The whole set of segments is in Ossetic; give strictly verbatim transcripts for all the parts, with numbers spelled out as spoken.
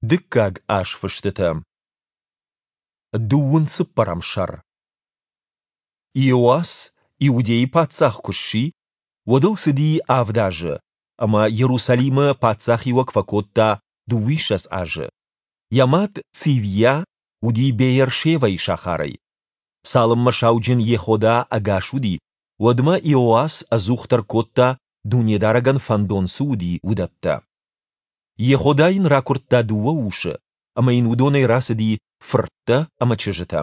Дыккаг азфыстытӕ. Дыууын цыппӕрӕм сӕр. Иоас Иудӕйы паддзах куы сси, уӕд ыл цыди авд азы, ӕмӕ Иерусалимы паддзахиуӕг фӕкодта дыууиссӕдз азы. Йӕ мад Цивйа уыди Беер-Шевӕйы сахарӕй. Цалынмӕ сауджын Йехода ӕгас уыди, уӕдмӕ Иоас ӕдзухдӕр кодта, Дунедарӕгӕн фӕндон цы уыди, уыдӕттӕ. Йехода йын ракуырдта дыууӕ усы, ӕмӕ йын уыдонӕй рацыди фырттӕ ӕмӕ чызджытӕ.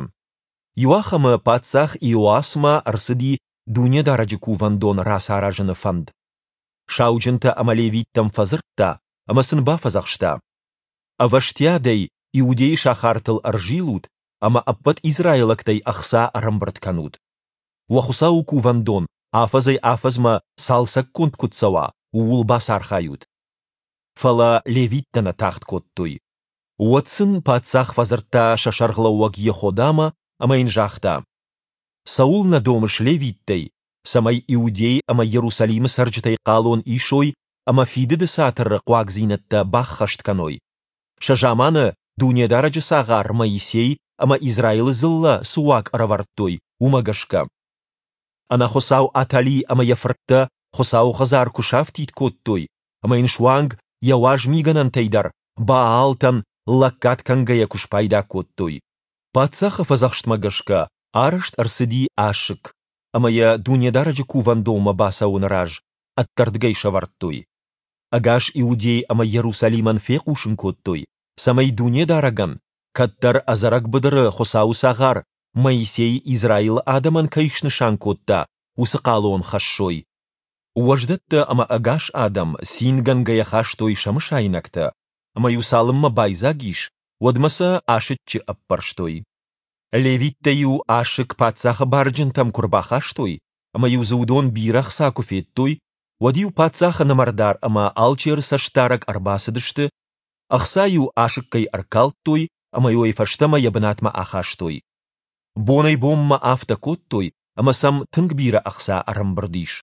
Иуахӕмы паддзах Иоасмӕ ӕрцыди Дунедарӕджы Кувӕндон рацаразыны фӕнд. Сауджынтӕ ӕмӕ левиттӕм фӕдзырдта ӕмӕ сын бафӕдзӕхста: Ӕвӕстиатӕй Иудейы сахартыл ӕрзилут ӕмӕ ӕппӕт израилӕгтӕй ӕхца ӕрӕмбырд кӕнут. Уӕ Хуыцауы Кувӕндон афӕдзӕй-афӕдзмӕ цалцӕггонд куыд цӕуа, ууыл бацархайут. Фӕлӕ левиттӕ нӕ тагъд кодтой. Уӕд сын паддзах фӕдзырдта сӕ сӕргълӕууӕг Йеходамӕ ӕмӕ йын загъта: Цӕуылнӕ домыс левиттӕй, цӕмӕй Иудей ӕмӕ Иерусалимы цӕрджытӕй хъалон исой ӕмӕ Фидыды Цатыры хъуагдзинӕдтӕ баххӕст кӕной, сӕ заманы Дунедарӕджы цагъар Моисей ӕмӕ Израилы дзыллӕ цы уаг ӕрӕвӕрдтой, уымӕ гӕсгӕ? Ӕнӕхуыцау Атали ӕмӕ йӕ фырттӕ Хуыцауы хӕдзар куы сафтид кодтой ӕмӕ йын суанг йӕ уаз мигӕнӕнтӕй дӕр Баалтӕн лӕггад кӕнгӕйӕ куы спайда кодтой. Паддзахы фӕдзӕхстмӕ гӕсгӕ арӕзт ӕрцыди асыкк, ӕмӕ йӕ Дунедарӕджы Кувӕндонмӕ бацӕуӕны раз ӕддӕрдыгӕй сӕвӕрдтой. Ӕгас Иудей ӕмӕ Иерусалимӕн фехъусын кодтой, цӕмӕй Дунедарӕгӕн, кӕддӕр ӕдзӕрӕг быдыры Хуыцауы цагъар Моисей Израилы адӕмӕн кӕй снысан кодта, уыцы хъалон хӕссой. Уӕздӕттӕ ӕмӕ ӕгас адӕм цингӕнгӕйӕ хастой сӕ мысайнӕгтӕ, ӕмӕ-иу цалынмӕ байдзаг ис, уӕдмӕ сӕ асыччы ӕппӕрстой. Левиттӕ-иу асыкк паддзахы барджынтӕм куы рбахастой, ӕмӕ-иу дзы уыдон бирӕ хца куы федтой, уӕд-иу паддзахы нымӕрдар ӕмӕ алчеры цӕстдарӕг ӕрбацыдысты, ӕхца-иу асыккӕй ӕркалдтой ӕмӕ-иу ӕй фӕстӕмӕ йӕ бынатмӕ ахастой. Бонӕй-бонмӕ афтӕ кодтой, ӕмӕ сӕм тынг бирӕ ӕхца ӕрӕмбырд ис.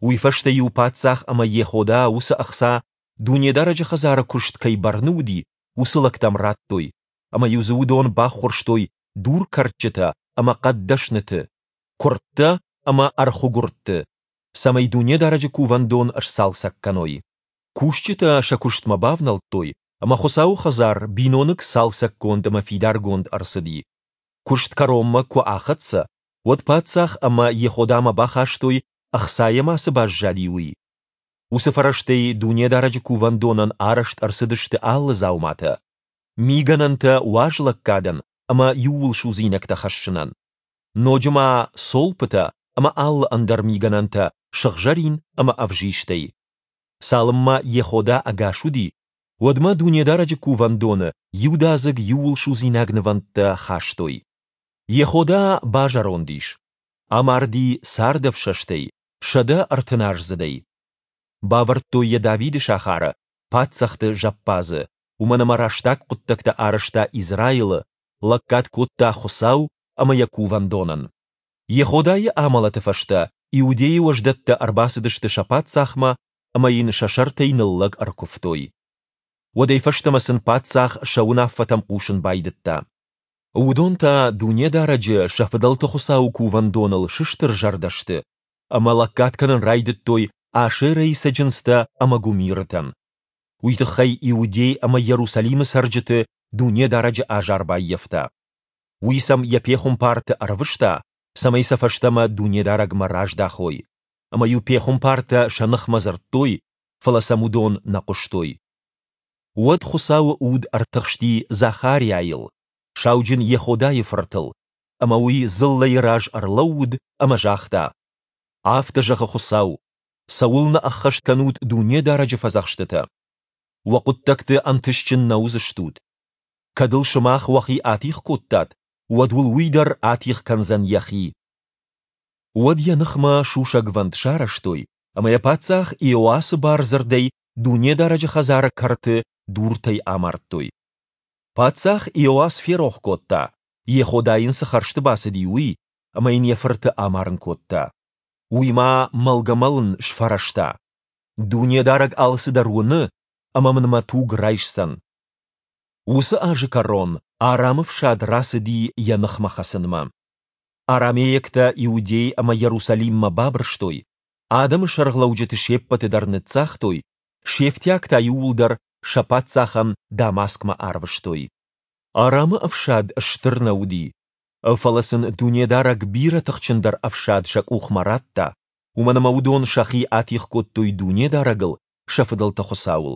Уый фӕстӕ-иу паддзах ӕмӕ Йехода уыцы ӕхца, Дунедарӕджы хӕдзары куыст кӕй бӕрны уыди, уыцы лӕгтӕм радтой, ӕмӕ-иу дзы уыдон баххуырстой дуркӕрдджытӕ ӕмӕ хъӕддӕсныты, куырдтӕ ӕмӕ ӕрхуыгуырдты, цӕмӕй Дунедарӕджы Кувӕндон сцалцӕг кӕной. Кусджытӕ сӕ куыстмӕ бавнӕлдтой, ӕмӕ Хуыцауы хӕдзар биноныг цалцӕггонд ӕмӕ фидаргонд ӕрцыди. Куыст кӕронмӕ куы ахӕццӕ, уӕд паддзах ӕмӕ Йеходамӕ бахастой, ӕхцайӕ ма цы баззади, уый. Уыцы фӕрӕзтӕй Дунедарӕджы Кувӕндонӕн арӕзт ӕрцыдысты алы дзауматӕ: мигӕнӕнтӕ уазлӕггадӕн ӕмӕ иууылсудзинӕгтӕ хӕссынӕн, ноджы ма цолпытӕ ӕмӕ алы ӕндӕр мигӕнӕнтӕ сыгъзӕрин ӕмӕ ӕвзистӕй. Цалынмӕ Йехода ӕгас уыди, уӕдмӕ Дунедарӕджы Кувӕндоны иудадзыг иууылсудзинаг нывӕндтӕ хастой. Йехода базӕронд ис, амарди цардӕфсӕстӕй, сӕдӕ ӕртыназдзыдӕй. Бавӕрдтой йӕ Давиды сахары, паддзӕхты зӕппадзы, уымӕн ӕмӕ рӕстаг хъуыддӕгтӕ арӕзта Израилы, лӕггад кодта Хуыцау ӕмӕ йӕ Кувӕндонӕн. Йеходайы амӕлӕты фӕстӕ Иудейы уӕздӕттӕ ӕрбацыдысты сӕ паддзахмӕ ӕмӕ йын сӕ сӕртӕй ныллӕг ӕркуывтой. Уӕдӕй фӕстӕмӕ сын паддзах сӕ уынаффӕтӕм хъусын байдыдта. Уыдон та Дунедарӕджы, сӕ фыдӕлты Хуыцауы Кувӕндоныл сыстырзӕрдӕ сты ӕмӕ лӕггад кӕнын райдыдтой Ашерӕйы цӕджындзтӕ ӕмӕ гуымирытӕн. Уый тыххӕй Иудей ӕмӕ Иерусалимы цӕрджыты Дунедарӕджы азар баййӕфта. Уый сӕм йӕ пехуымпарты ӕрвыста, цӕмӕй сӕ фӕстӕмӕ Дунедарӕгмӕ раздахой. Ӕмӕ-иу пехуымпартӕ сӕ ныхмӕ дзырдтой, фӕлӕ сӕм уыдон нӕ хъуыстой. Уӕд Хуыцауы Уд ӕртыхсти Захариайыл, сауджын Йеходайы фыртыл, ӕмӕ уый дзыллӕйы раз ӕрлӕууыд ӕмӕ загъта: Афтӕ зӕгъы Хуыцау: цӕуылнӕ ӕххӕст кӕнут Дунедарӕджы фӕдзӕхстытӕ? Уӕ хъуыддӕгты ӕнтыстджын нӕ уыдзыстут. Кӕд ыл сымах уӕхи атигъ кодтат, уӕд уыл уый дӕр атигъ кӕндзӕн йӕхи. Уӕд йӕ ныхмӕ сусӕгвӕнд сарӕзтой ӕмӕ йӕ паддзах Иоасы бардзырдӕй Дунедарӕджы хӕдзары кӕрты дуртӕй амардтой. Паддзах Иоас ферох кодта, Йехода йын цы хӕрзты бацыди, уый, ӕмӕ йын йӕ фырты амарын кодта. Уый ма мӕлгӕ-мӕлын сфӕрӕзта: Дунедарӕг алцыдӕр уыны ӕмӕ мын мӕ туг райсдзӕн. Уыцы азы кӕрон Арамы фсад рацыди йӕ ныхмӕ хӕцынмӕ. Арамейӕгтӕ Иудей ӕмӕ Йерусалиммӕ бабырстой, адӕмы сӕргълӕуджыты се ппӕты дӕр ныццагътой, се фтиаг та иууылдӕр сӕ паддзахӕн Дамаскмӕ арвыстой. Арамы ӕфсад стыр нӕ уыди, фӕлӕ сын Дунедарӕг бирӕ тыхджындӕр ӕфсад сӕ къухмӕ радта, уымӕн ӕмӕ уыдон сӕхи атигъ кодтой Дунедарӕгыл, сӕ фыдӕлты Хуыцауыл.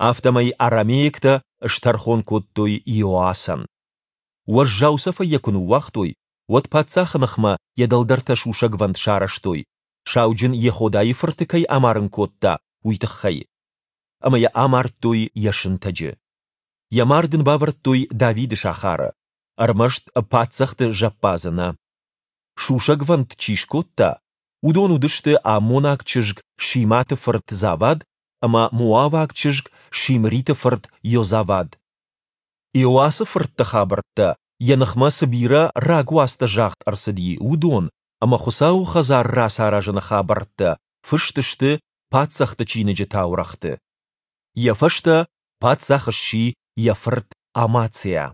Афтӕмӕй арамейӕгтӕ стӕрхон кодтой Иоасӕн. Уӕззау цӕфӕй йӕ куы ныууагътой, уӕд паддзахы ныхмӕ йӕ дӕлдӕртӕ сусӕгвӕнд сарӕзтой, сауджын Йеходайы фырты кӕй амарын кодта, уый тыххӕй. Ӕмӕ йӕ амардтой йӕ сынтӕджы. Йӕ мард ын бавӕрдтой Давиды сахары, ӕрмӕст паддзӕхты зӕппадзы нӕ. Сусӕгвӕнд чи скодта, уыдон уыдысты аммонаг чызг Шиматы фырт Завад ӕмӕ моаваг чызг Шимриты фырт Йозавад. Иоасы фыртты хабӕрттӕ, йӕ ныхмӕ цы бирӕ рагуацтӕ загъд ӕрцыди, уыдон ӕмӕ Хуыцауы хӕдзар рацаразыны хабӕрттӕ фыст сты Паддзӕхты чиныджы таурӕгъты. Йӕ фӕстӕ паддзах сси йӕ фырт Амациа.